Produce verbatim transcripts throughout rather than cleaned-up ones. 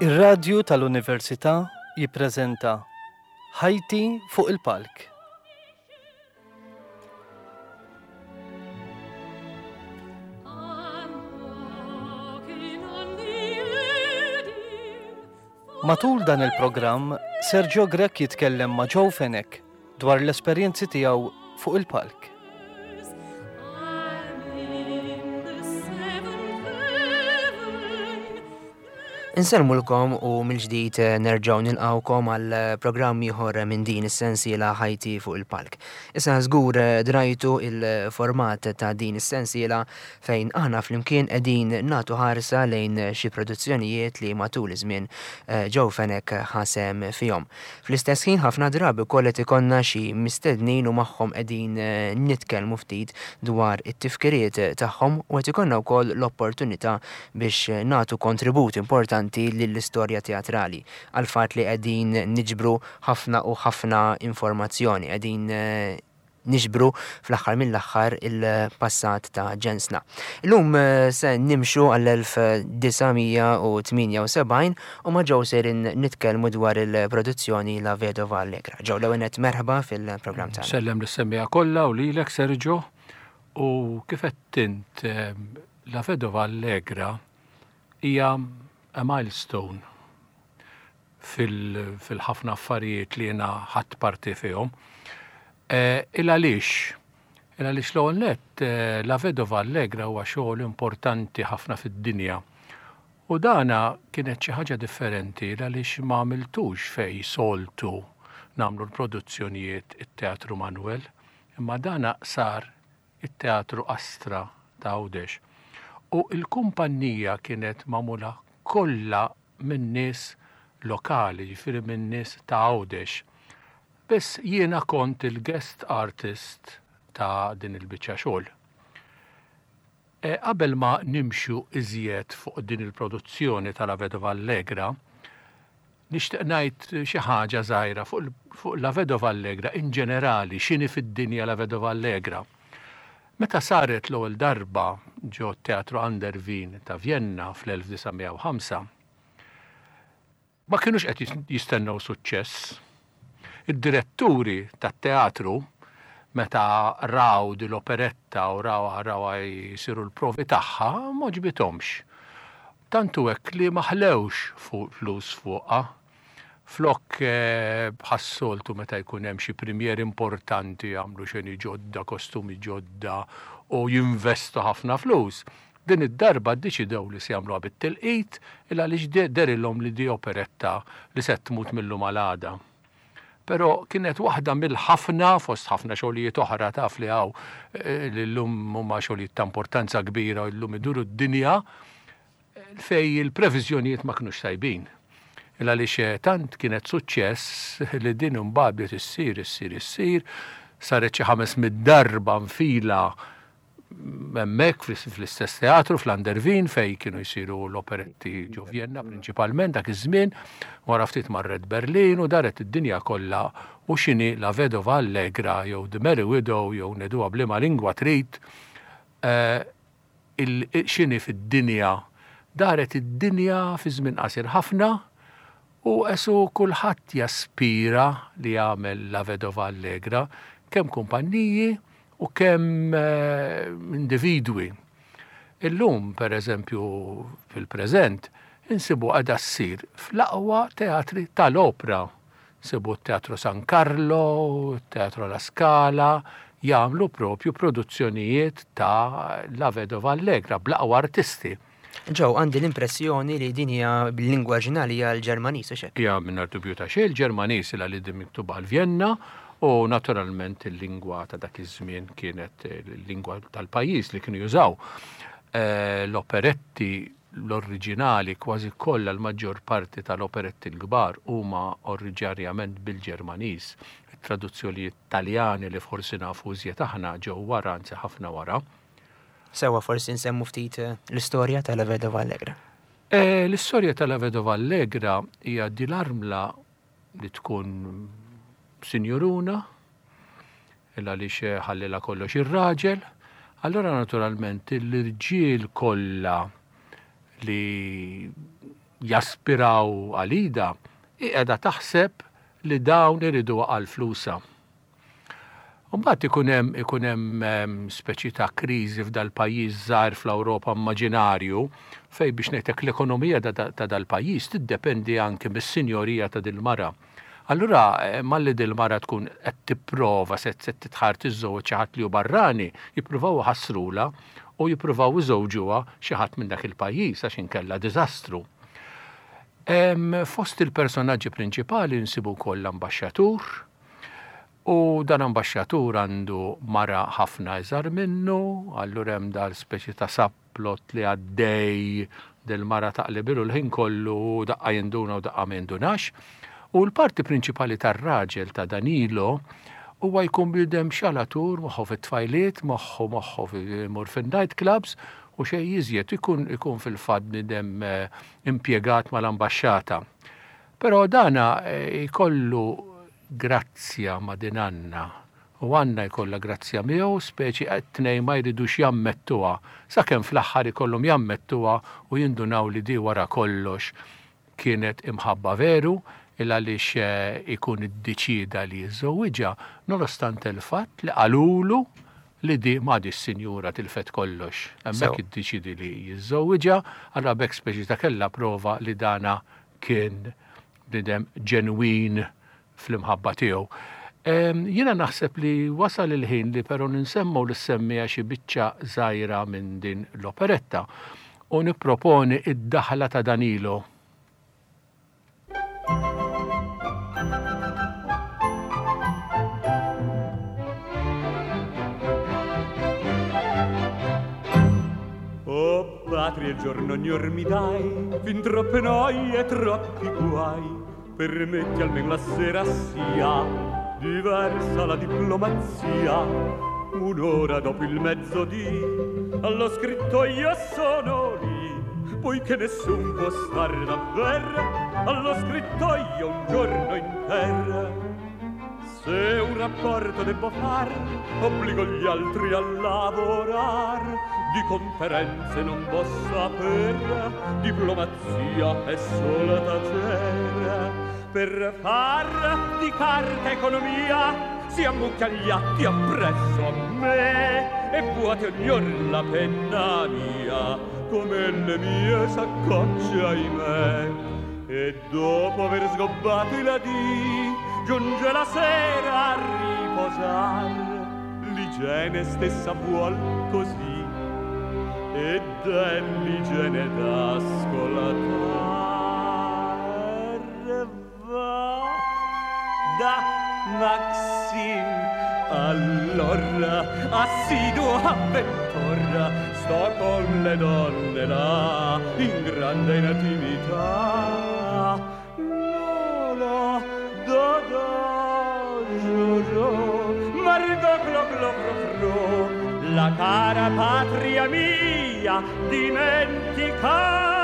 Ir-Radju tal-Università jippreżenta Ħajti fuq il-Palk. Matul dan il-programm, Sergio Grech jitkellem ma' Joe Fenech dwar l-esperjenzi tiegħu fuq il-palk. Insellmulkom u mill-ġdid eh, nerġgħu nilqawkom għal eh, programm ieħor minn din is-sensiela Ħajti fuq il-palk. Issa żgur eh, drajtu il-format ta' din is-sensiela fejn aħna flimkien qegħdin nagħtu ħarsa lejn xi produzzjonijiet li matul iż-żmien Joe Fenech ħasem fihom. Fl-istess ħin ħafna drabi wkoll qed ikollna xi mistednin u magħhom qegħdin nitkellmu ftit dwar it-tifkiriet tagħhom u qed ikollna wkoll l-opportunità biex nagħtu kontribut importanti lill-istorja teatrali għal fatt li qegħdin niġbru ħafna u ħafna informazzjoni, qegħdin niġbru fl-aħħar mill-aħħar il-passat ta' ġensna. Illum se nimxu għall-elf disa' mija u tmienja u sebgħin u ma' Joe sejrin nitkellmu dwar il-produzzjoni La Vedova Allegra. Joe, l-ewwel nett merħba fil-programm tagħna. Sellem lis-semmiegħa kollha u lilek Sergio, u kif qed int, La Vedova Allegra hija a milestone fil-, fil-ħafna affarijiet li jiena ħadt parti fihom. Eh, il għaliex? Il għaliex l-ewwel nett, eh, La Vedova Allegra huwa xogħol importanti ħafna fid-dinja. U dana kienet xi ħaġa differenti għaliex ma għamiltux fej soltu nagħmlu l-produzzjonijiet it-Teatru Manuel, imma dana sar it-Teatru Astra ta' Għawdex. U l-kumpanija kienet magħmula kollha minn nies lokali, ġifieri minn nies ta' Għawdex. Biss jiena kont il-guest artist ta' din il-biċċa xogħol. E, qabel ma nimxu iżjed fuq din il-produzzjoni ta' La Vedova Allegra, nixtieq ngħid xi ħaġa żgħira fuq, fuq La Vedova Allegra in ġenerali, x'inhi fid-dinja La Vedova Allegra. Meta saret l-ewwel darba ġo Teatru An der Wien ta' Vienna fl-elf disa' mija u ħamsa, ma kinux qed jistennew suċċess. Id-diretturi tat-teatru meta raw din l-operetta u raw, raw jsiru l-provi tagħha, ma ġbithomx. Tantu hekk li ma ħlewx fuq flus fuqha. Flok, eh, bħas-soltu meta jkun hemm xi premier importanti jagħmlu xeni ġodda, kostumi ġodda u jinvestu ħafna flus. Din id-darba ddeċidew li se jagħmluha bit-tilqit il għaliex de-, derilhom li di operetta li se tmut mill-lum għal għada. Però kienet waħda mill-ħafna fost ħafna xogħlijiet oħra taf li hawn, eh, li llum huma xogħlijiet ta' importanza kbira u llum iduru d-dinja fej il-previżjonijiet ma kinux tajbin. Il għaliex tant kienet suċċess li din imbagħad bdiet issir, issir, issir, saret xi ħames mid darba nfila hemmhekk fl-, fl-istess teatru fl-An der Wien fej kienu jsiru l-operetti ġo Vienna prinċipalment dak iż-żmien, wara ftit marret Berlin u daret id-dinja kollha u x'inhi La Vedova Allegra jew The Merry Widow jew ngħiduha b'liema lingwa trid, eh, il-, x'inhi fid-dinja. Daret id-dinja fi żmien qasir ħafna u esu kulħadd jaspira li jagħmel La Vedova Allegra, kemm kumpanniji u kemm, eh, individwi. Illum, per eżempju, fil-preżent, insibu għadha ssir fl-aqwa teatri tal-opra. Nsibu t-Teatru San Carlo, t-Teatru La Scala, jagħmlu propju produzzjonijiet ta' La Vedova Allegra bl-aqwa artisti. Joe, għandi l-impressjoni li din hija bil-lingwa oriġinali hija l-Ġermaniż, u x'hekk? Hija mingħajr dubju ta' xejn, il-Ġermaniż ilha li din miktuba għal Vienna u naturalment il-lingwa ta' dak iż-żmien kienet il-lingwa tal-pajjiż li kienu jużaw. Eh, l-operetti l-oriġinali kważi kollha l-maġġor parti tal-operetti l-kbar huma oriġinarjament bil-Ġermaniż. It-traduzzjonijiet Taljani li forsi nafu iżjed aħna ġew wara, anzi ħafna wara. Sewa forsi nsemmu ftit, eh, l-istorja ta' La Vedova Allegra. Eh, l-istorja ta' La Vedova Allegra hija din l-armla li tkun sinjuruna, illa għaliex ħallilha kollox ir-raġel, allora naturalment l-irġiel kollha li Jaspiraw għal Ida, hi qiegħda taħseb li dawn iriduha għal flusha. Mbagħad ikun hemm ikun hemm speċi ta' kriżi f'dal-pajjiż żgħir fl-Ewropa immaġinarju fejn, biex ngħidlek, l-ekonomija ta' dal-pajjiż tiddependi anke mis-sinjorija ta' dil-mara. Allura eh, malli dil-mara tkun qed tipprova se se titħar tiżżewweġ xi ħadd li hu barrani, jippruvaw iħassrula u jippruvaw iżewġuha xi ħadd minn dak il-pajjiż għax inkella diżastru. Fost il-personaġġi prinċipali nsibu wkoll l-ambaxxatur, u dan ambaxxatur għandu mara ħafna iżgħar minnu, allura hemm dal speċi ta' subplot li għaddej del-mara taqlibilu l-ħin kollu, daqqa jinduna u daqqa ma jindunax. U l-parti prinċipali tar-raġel ta' Danilo huwa jkun bniedem xalatur, moħħu fit-tfajliet, moħħu moħħu imur fin-night clubs u xejn iżjed, ikun ikun fil-fatt bniedem eh, impjegat mal-ambaxxata. Però dana eh, jkollu grazzja ma' din Anna u Anna jkollha grazzja miegħu, speċi t-tnejn ma jridux jammettuha, sakemm fl-aħħar ikollhom jammettuha u jindunaw li di wara kollox kienet imħabba veru, il għaliex eh, ikun iddeċida li jiżżewwiġha nonostante il-fatt li qalulu li di ma di s-sinjura tilfet kollox. Hemmhekk iddeċidi li jiżżewwiġha, allura b'hekk speċi ta' kella prova li dana kien bniedem ġenwin fl-imħabba tiegħu. Jiena naħseb li wasal il-ħin li però ninsemmu lis-semmiegħa xi biċċa żgħira minn din l-operetta u nipproponi id-daħla ta' Danilo. Oh patria, il giorno ognor mi dai, fin troppe noie e troppi guai. Permetti almen la sera sia diversa la diplomazia. Un'ora dopo il mezzodì allo scrittoio sono lì, poiché nessun può stare davver allo scrittoio un giorno inter. Se un rapporto debbo far, obbligo gli altri a lavorar. Di conferenze non vo saper, diplomazia è solo tacer. Per far di carta economia si ammucchia gli atti appresso a me e vuote ognor la penna mia come le mie saccocce, ahimè. E dopo aver sgobbato i ladì giunge la sera a riposar, l'igiene stessa vuol così ed è l'igiene d'ascoltar. Va da Maxim allora assiduo avventor, sto con le donne là in grande intimità. Lola, do do giù giù, Margot clo clo cro cro, la cara patria mia dimenticar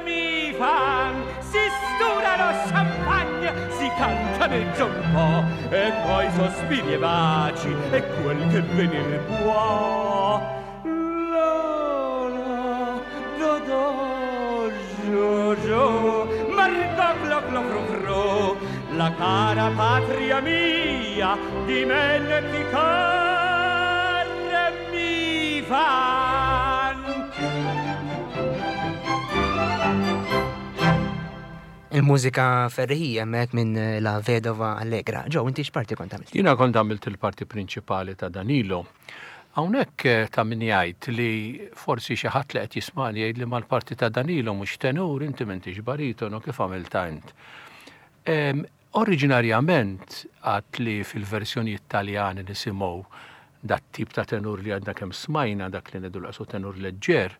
mi fan. Si stura lo champagne, si cantaneggia un po', e poi sospiri e baci e quel che venir può. Lola, do do giù giù, Margot clo clo cro cro, la cara patria mia dimenticar mi fan. Il-mużika ferriħija hemmhekk minn La Vedova Allegra. Joe, inti x'parti kont għamilt? Jiena kont għamilt il-parti prinċipali ta' Danilo. Hawnhekk eh, ta' min jgħid li forsi xi ħadd li qed jismani jgħid li mal-parti ta' Danilo mhux tenur, inti m'intix baritonu, kif għamilta int. Em, Oriġinarjament għat li fil-versjoni Italjani nisimgħu dat tip ta' tenur li għadna kemm smajna, dak li ngħidu laqsu tenur leġġer,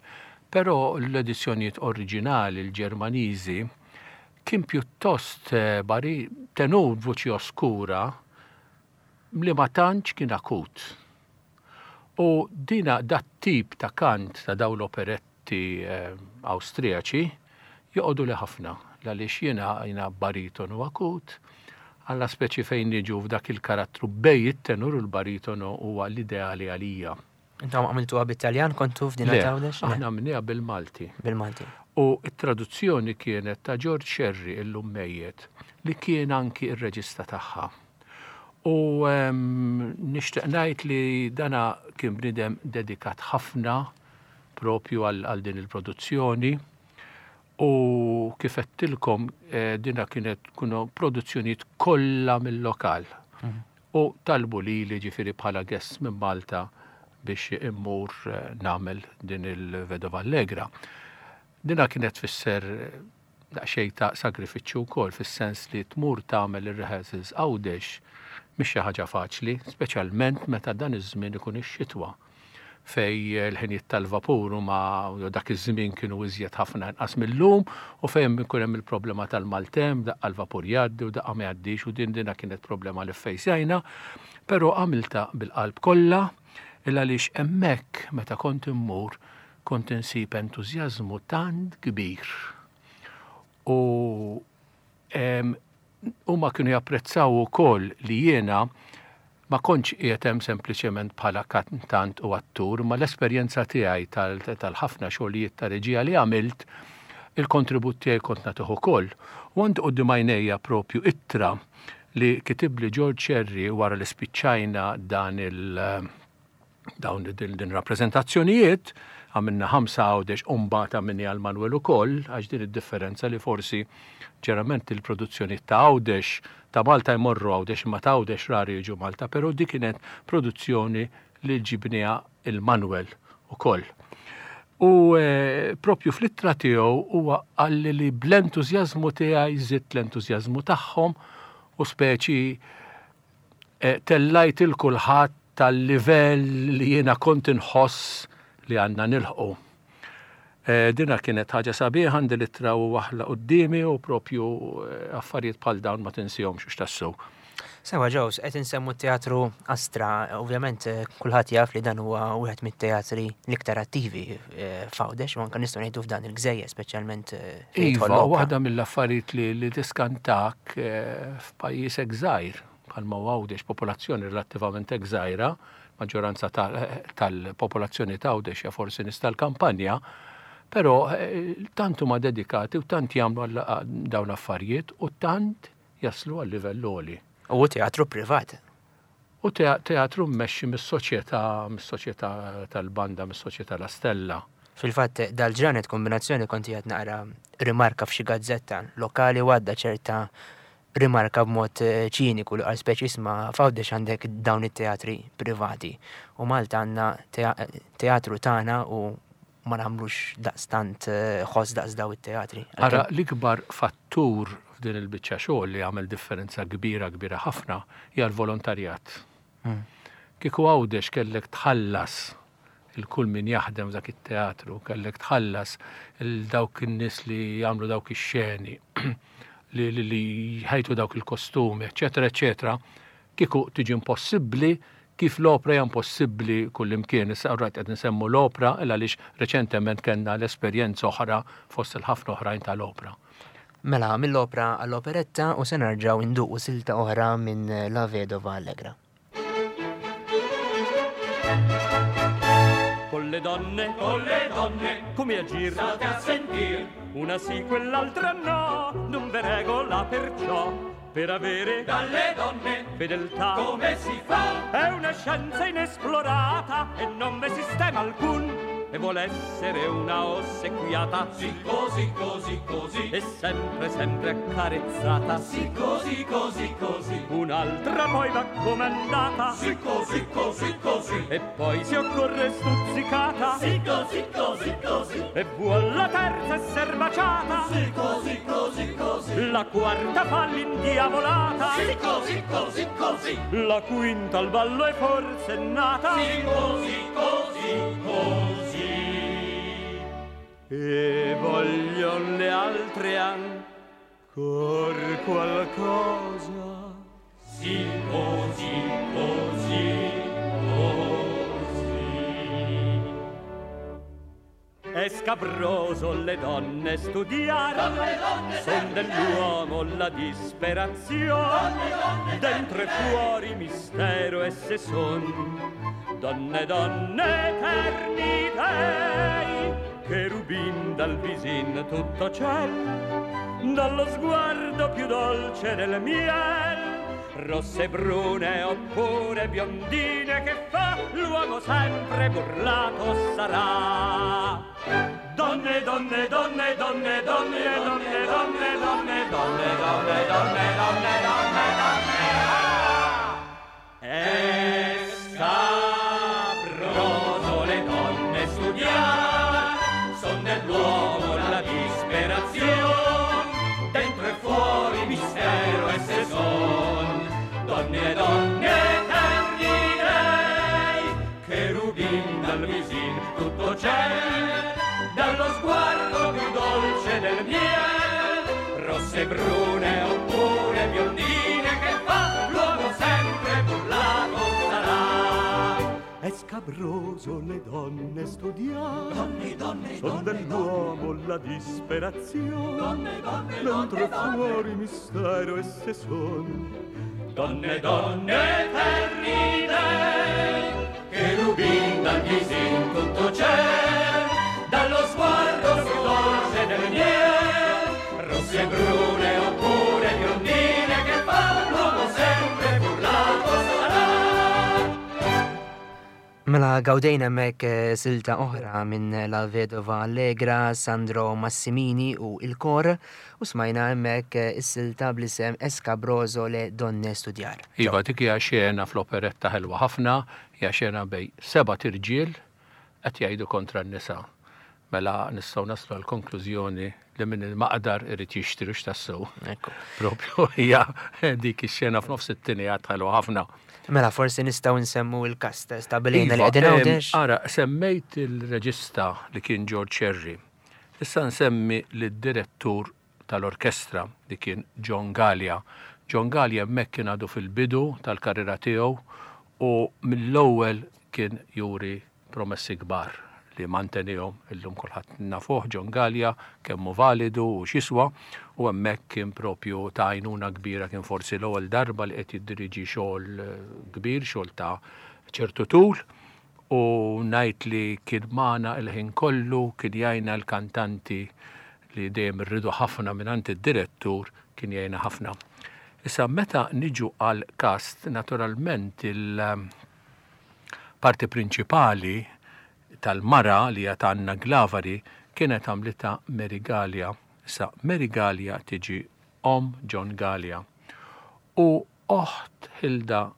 però l-edizzjonijiet oriġinali l-Ġermaniżi kien pjuttost eh, bari tenur vuċi oskura li ma tantx kien akut. U dina dat tip ta' kant ta' daw l-operetti eh, Awstrijaċi joqogħdu li ħafna, għaliex jiena jiena baritonu akut, għalla speċi fejn niġu f'dak il-karattru bej it-tenur u l-baritonu huwa l-ideali għalija. Intom għamiltuha bit-Taljan, kontu f'din Le, Għawdex? aħna għamilniha bil-Malti. Bil-Malti. U t-traduzzjoni kienet ta' George Scerri, illum mejjet, li kien anki ir-reġista tagħha. U nixtieq ngħid li dana kien bniedem dedikat ħafna propju għal din il-produzzjoni. U kif għedtilkom, dina kienet kunu produzzjonijiet kollha mill-lokal. U talbu li li ġifieri bħala guest minn Malta biex immur nagħmel din il-Vedova Allegra. Dina kienet tfisser daqsxejn ta' sagrifiċċju wkoll, fis-sens li tmur tagħmel ir-rehearsals Għawdex mhix xi ħaġa faċli, speċjalment meta dan iż-żmien ikun ix-xitwa fej l-ħinijiet tal-vapur huma dak iż-żmien kienu iżjed ħafna inqas mill-lum, u fejn ikun hemm il-problema tal-maltemp, daqqa l-vapur jgħaddi u daqqa ma jgħaddix, u din dina kienet problema li ffejsjajna, però għamilta bil-qalb kollha, illa għaliex hemmhekk meta kont immur kont insib entużjażmu tant kbir. U huma kienu japprezzaw ukoll li jiena ma kontx qiegħed hemm sempliċement bħala kantant u attur, ma l-esperjenza tiegħi tal-ħafna xogħlijiet ta' reġija li għamilt, il-kontribut tiegħi kont nagħtih ukoll. U għandi quddiem għajnejja propju ittra li kitibli George Scerri wara li spiċċajna dan il dawn din rappreżentazzjonijiet, għamilna ħamsa Għawdex u mbagħad għamilni għal Manuel ukoll, għax din id-differenza li forsi ġerament il-produzzjoni ta' Għawdex ta' Malta jmorru Għawdex, imma ta' Għawdex rari jiġu Malta, però dik kienet produzzjoni li ġibniha il-Manuel ukoll. U propju fl-ittra tiegħu huwa qalli li bl-entużjażmu tiegħi żidt l-entużjażmu tagħhom u speċi tellajt il kulħadd tal-livell li jiena kont inħoss li għandna nilħqu. Dina kienet ħaġa sabiħa, għandi l-ittra u waħla quddiemi u propju affarijiet bħal dawn ma tinsihomx x'tassew. Sewa Ġews, qed insemmu t-teatru Astra, ovvjament kulħadd jaf li dan huwa wieħed mit-teatri l-iktar attivi f'Għawdex, u anke nistgħu ngħidu f'dan il-gżejjer speċjalment. Iva, waħda mill-affarijiet li tiskantak f'pajjiż hekk żgħir bħalma Għawdex, popolazzjoni relattivament hekk żgħira, maġġoranza tal-popolazzjoni ta' Għawdex hija forsi nies tal-kampanja, però tant huma dedikati u tant jagħmlu dawn l-affarijiet u tant jaslu għal livell għoli. U teatru privat. U teatru mmexxi mis-soċjetà, mis-soċjetà tal-banda, mis-soċjetà La Stella. Fil-fatt dal-ġranet kombinazzjoni kont qiegħed naqra rimarka f'xi gazzetta lokali u għadda ċerta rimarka b'mod ċiniku li għal speċi isma' f'Għawdex għandek dawn it-teatri privati u Malta għandna teatru tagħna u ma nagħmlux daqstant ħoss daqs daw it-teatri. Ara, l-ikbar fattur f'din il-biċċa xogħol li għamel differenza kbira kbira ħafna hija l-volontarjat. Kieku Għawdex kellek tħallas il-kull min jaħdem f'dak it-teatru, kellek tħallas il dawk in-nies li jagħmlu dawk ix-xeni, li li jħajtu dawk il-kostumi, eċetera, eċetera, kieku tiġi impossibbli kif l-opra hija impossibbli kullimkien. Issa rajt qed nsemmu l-opra għaliex reċentement kellna l-esperjenza oħra fost il-ħafna oħrajn tal-opra. Mela, mill-opra għall-operetta u se nerġgħu nduqu silta oħra minn La Vedova Allegra. Con le donne, con le donne, come agir? State a sentir, una sì, quell'altra no, non v'è regola perciò, per avere dalle donne fedeltà. Come si fa? È una scienza inesplorata e non v'è sistema alcun, e vuol essere una ossequiata. Sì, così, così, così, e sempre, sempre accarezzata. Sì, così, così, così, un'altra poi va comandata. Sì, così, così, così, e poi si occorre stuzzicata. Sì, così, così, così, e vuol la terza esser baciata. Sì, così, così, così, la quarta fa l'indiavolata. Sì, così, così, così, la quinta al ballo è forse nata. Sì, così, così, così. E voglion le altre ancor qualcosa. Sì, così, così, così. È scabroso le donne studiare, donne, donne, son dell'uomo la disperazione, donne, donne, dentro e fuori mistero esse son, donne, donne eterni dei. cherubin dal visin tutto ciel, dallo sguardo più dolce del miel, rosse brune oppure biondine, che fa l'uomo sempre burlato sarà. Donne, donne, donne, donne, donne, donne, donne, donne, donne, donne, donne, donne, donne, donne, ah! È scabroso le donne studiar, son dell'uomo la disperazione, dentro e fuori mistero esse son. Donne, donne, eterni dei, cherubin dal visin tutto c'è, dallo sguardo più dolce del miel, rosse brune oppure biondine, che fa l'uomo sempre burlato sarà. È scabroso le donne studiar, Donne, donne, son donne, dell'uomo la disperazione, Donne, donne, dentro e donne, donne. fuori mistero esse son. Donne, donne, eterni dei, cherubin dal visin tutto c'è, dallo sguardo più dolce del miel, rosse brune oppure biondine, che fa l'uomo sempre burlato sarà. Mela gawdejna hemmhekk eh, silta oħra minn La Vedova Allegra, Sandro Massimini u il-kor, u smajna hemmhekk eh, is-silta bl-isem È scabroso le donne studiar. Iva, dik hija xena fl-operetta ħelwa ħafna, hija xena bejn sebat irġiel qed jgħidu kontra n-nisa. Mela nistgħu naslu għal konklużjoni li min il-maqdar irid jixtri x'tassew. Ekku. Propju hija dik ix-xena f'nofs it-tieni għad ħelwa ħafna. Mela forsi nistgħu nsemmu il-kast stabilejna li Iva, qegħdin em, Għawdex. Ara, semmejt il-reġista li kien George Scerri. Issa nsemmi lid-direttur tal-orkestra li kien John Gallia. John Gallia hemmhekk kien għadu fil-bidu tal-karriera tiegħu u mill-ewwel kien juri promessi kbar li mantenihom illum kulħadd nafuh John Gallia kemm hu validu u x'jiswa, u hemmhekk kien propju ta' għajnuna kbira, kien forsi l-ewwel darba li qed jiddiriġi xogħol eh, kbir, xogħol ta' ċertu tul, u ngħid li kien magħna il-ħin kollu, kien jgħinna l-kantanti li dejjem irridu ħafna mingħand id-direttur, kien jgħinna ħafna. Issa meta niġu għal cast, naturalment il-parti prinċipali tal-mara li hija ta' Anna Glavari kienet għamlitha Mary Gallia. Issa Mary Gallia tiġi om John Gallia u oħt Hilda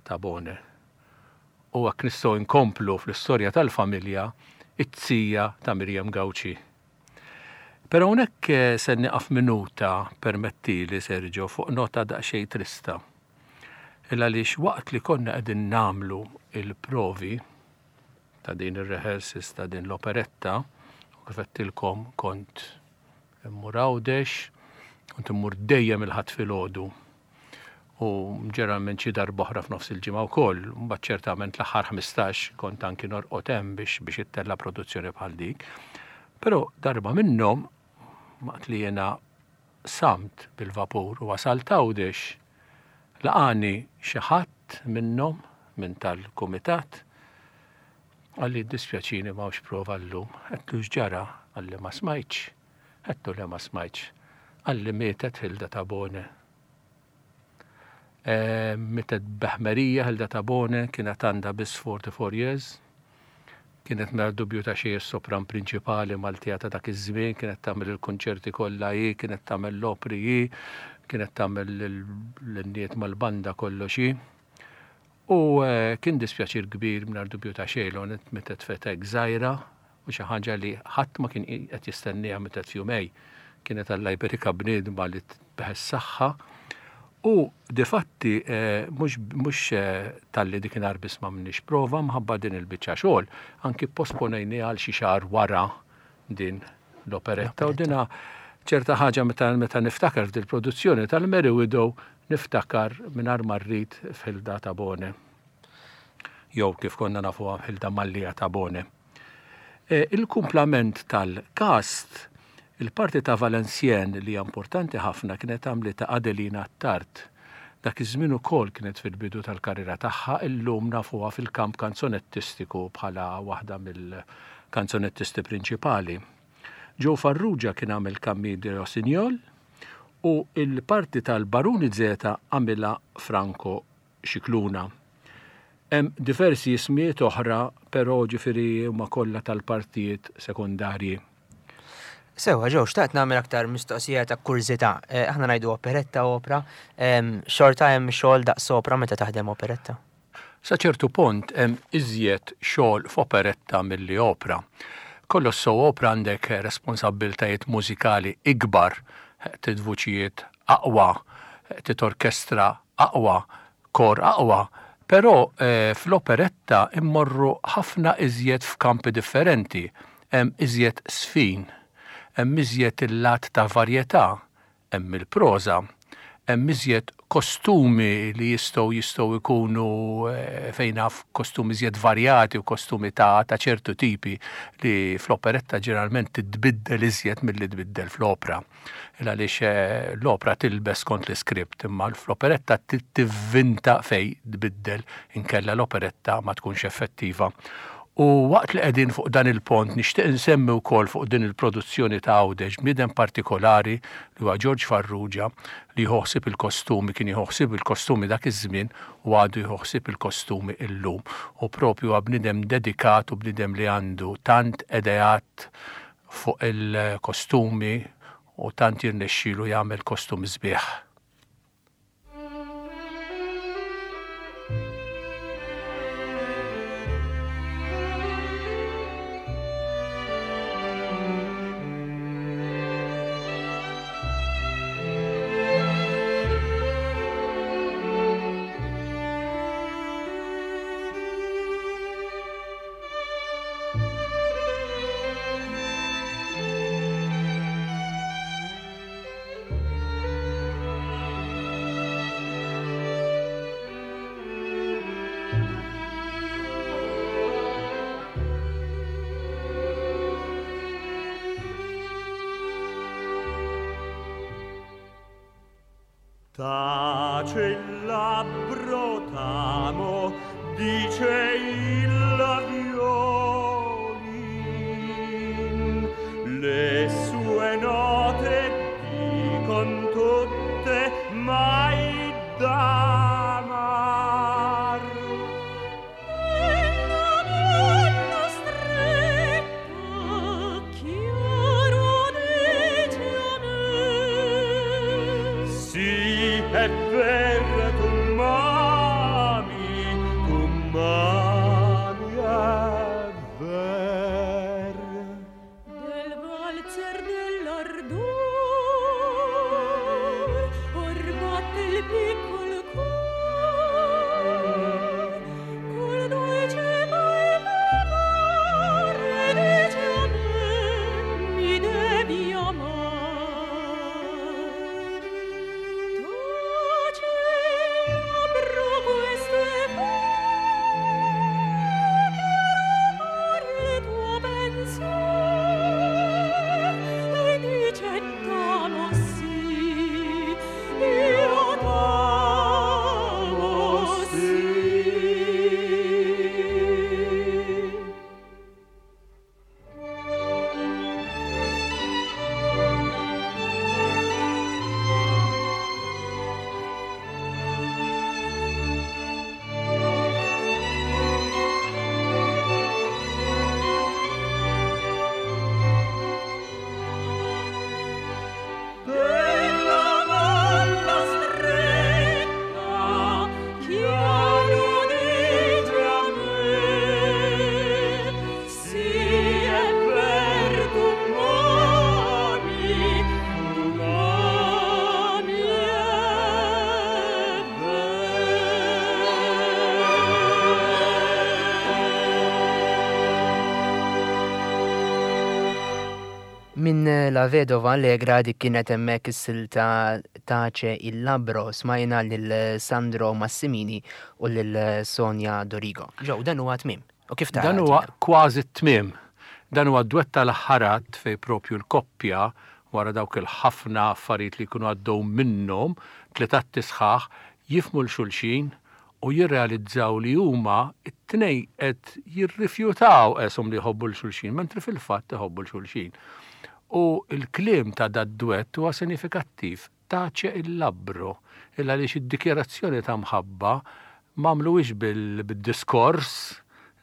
Tabone. U hekk nistgħu nkomplu fl-istorja tal-familja, it-tija ta' Miriam Gauci. Però hawnhekk eh, se nieqaf minuta, permettili Sergio, fuq nota daqsxejn trista. Illa għaliex waqt li konna qegħdin nagħmlu il-provi ta' din ir-rehearsals ta' din l-operetta, u kif għedtilkom kont immur Għawdex, kont immur dejjem il-Ħadd filgħodu. U ġeneralment xi darba oħra f'nofs il-ġimgħa wkoll, mbagħad ċertament l-aħħar ħmistax kont anki norqod hemm biex biex ittella' produzzjoni bħal dik. Però darba minnhom waqt li jiena samt bil-vapur u wasalt Għawdex, laqani xi ħadd minnhom minn tal-kumitat, qalli dispjaċini m'hawnx prova llum. Għedtlu x'ġara? Qalli ma smajtx. Għedtlu le ma smajtx. Qalli mietet Hilda Tabone. E, mietet b'ħmerija Hilda Tabone, kienet għandha biss forty-four years. Kienet mingħajr dubju ta' xejn sopran prinċipali Maltija ta' dak iż-żmien, kienet tagħmel il-konċerti kollha hi, kienet tagħmel l-opri hi, kienet tagħmel l-innijiet mal-banda kollox hi. U, eh, kien dispjaċir kbir mingħajr dubju ta' xejn li mietet f'età żgħira u xi ħaġa li ħadd ma kien qed jistenniha mietet f'jumejn. Kienet Alla jberikha bniedma li tbeħ saħħa. U difatti, eh, mhux, mhux, eh, talli dik inhar biss ma minix prova mħabba din il-biċċa xogħol, anki posponejni għal xi xahar wara din l-operetta. U dina ċerta ħaġa meta, meta niftakar f'dil produzzjoni tal-Merry Widow, niftakar mingħajr ma rrid f'Hilda Tabone. Jew kif konna nafuha Hilda Mallia Tabone. E, il-kumplament tal-cast, il-parti ta' Valenciennes li hija importanti ħafna kienet għamlitha Adelina Attard. Dak iż-żmien ukoll kienet fil-bidu tal-karriera tagħha, illum nafuha fil-kamp kanzonettistiku bħala waħda mill kanzonettisti prinċipali. Joe Farrugia kien għamel Camille de Rossignol u il-parti tal-Baruni Zeta għamilha Franco Scicluna. Hemm diversi ismijiet oħra, però ġifieri huma kollha tal-partijiet sekondarji. Sewa, Joe, xtaqt nagħmel aktar mistoqsija ta' kurżità. Eh, aħna ngħidu operetta opra, em, xorta hemm xogħol daqs opra meta taħdem operetta? Sa ċertu punt hemm iżjed xogħol f'operetta milli opra. Kollox so opra għandek responsabbiltajiet mużikali ikbar, trid vuċijiet aqwa, trid orkestra aqwa, kor aqwa, però, eh, fl-operetta immorru ħafna iżjed f'kampi differenti, hemm iżjed sfin, hemm iżjed il-lat ta' varjetà, hemm il-proża, hemm iżjed kostumi li jistgħu jistgħu jkunu, eh, fejn naf kostumi iżjed varjati u kostumi ta', ta' ċertu tipi li fl-operetta ġeneralment titbiddel iżjed milli tbiddel fl-opra. Il għaliex, eh, l-opra tilbes kont l-iskript, imma fl-operetta tivvinta fej tbiddel inkella l-operetta ma tkunx effettiva. U waqt li qegħdin fuq dan il-pont nixtieq insemmi wkoll fuq din il-produzzjoni ta' Għawdex bniedem partikolari li huwa George Farrugia li jħossib il-kostumi, kien jħossib il-kostumi dak iż-żmien u għadu jħossib il-kostumi illum. U propju huwa bniedem dedikat u bniedem li għandu tant ideat fuq il-kostumi u tant jirnexxielu jagħmel kostumi sbieħ. Tace il labbro t'amo, dice il violin. Le sue note dicon tutte mai d'amar. Nella mano stretta chiaro dice a me. Sì, è vero, tu m'ami, tu m'ami, è ver. Del valzer dell'ardor or batte il piccol cor, col dolce palpitare dice a me, mi devi amar. Tace il labbro queste chiaro il tuo pensier, e dice t'amo sì, io t'amo sì. Della mano stretta chiaro dice a me, sì è ver tu m'ami, tu m'ami, è ver. Min La Vedova Allegra dik kienet hemmhekk is-silta Tace il Labbro, smajna lil Sandro Massimini u lil Sonia Dorigo. Joe, dan huwa tmiem. U kif tara Dan huwa tmiem? kważi t-tmiem. Dan huwa dwett tal-ħarat fej propju l-koppja wara dawk il-ħafna affarijiet li jkunu għaddew minnhom, tliet atti sħaħ, jifhmu l-xulxin u jirrealizzaw li huma It-tnejn qed jirrifjutaw qeshom li jħobbu 'l xulxin, mentri fil-fatt iħobbu 'l xulxin. U l-kliem ta' dad-duett huwa sinifikattiv, tace il labbro, il għaliex id-dikjarazzjoni ta' mħabba m'għamluhiex bil-diskors,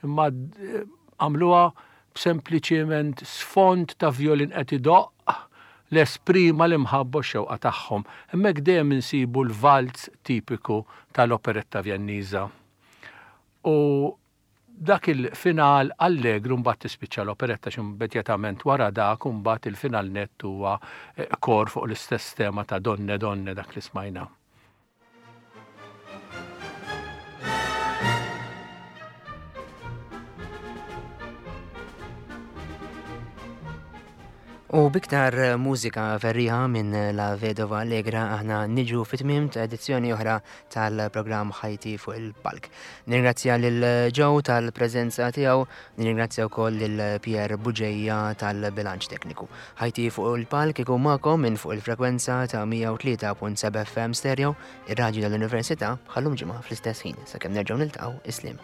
imma għamluha b'sempliċiment sfond ta' violin qed idoqq l-esprima l-imħabba u x-xewqa tagħhom. Hemmhekk dejjem insibu l-valz tipiku tal-operetta Vjenniża. U dak il-final allegru mbagħad tispiċċa l-operetta xi immedjatament wara dak u mbagħad il-final nett huwa kor fuq l-istess tema ta' Donne Donne dak li smajna. U biktar mużika ferriħa minn La Vedova Allegra aħna niġu fit-tmiem ta' edizzjoni oħra tal-programm Ħajti fuq il-Palk. Nirringrazzja lil Joe tal-preżenza tiegħu, nirringrazzja wkoll lil Pierre Buġeja tal-bilanċ tekniku. Ħajti fuq il-Palk ikun magħkom minn fuq il-frekwenza ta' mija u tlieta punt seba' F M Stereo, ir-radju tal-Università, bħallum ġimgħa fl-istess ħin. Sakemm nerġgħu niltaqgħu, isliem.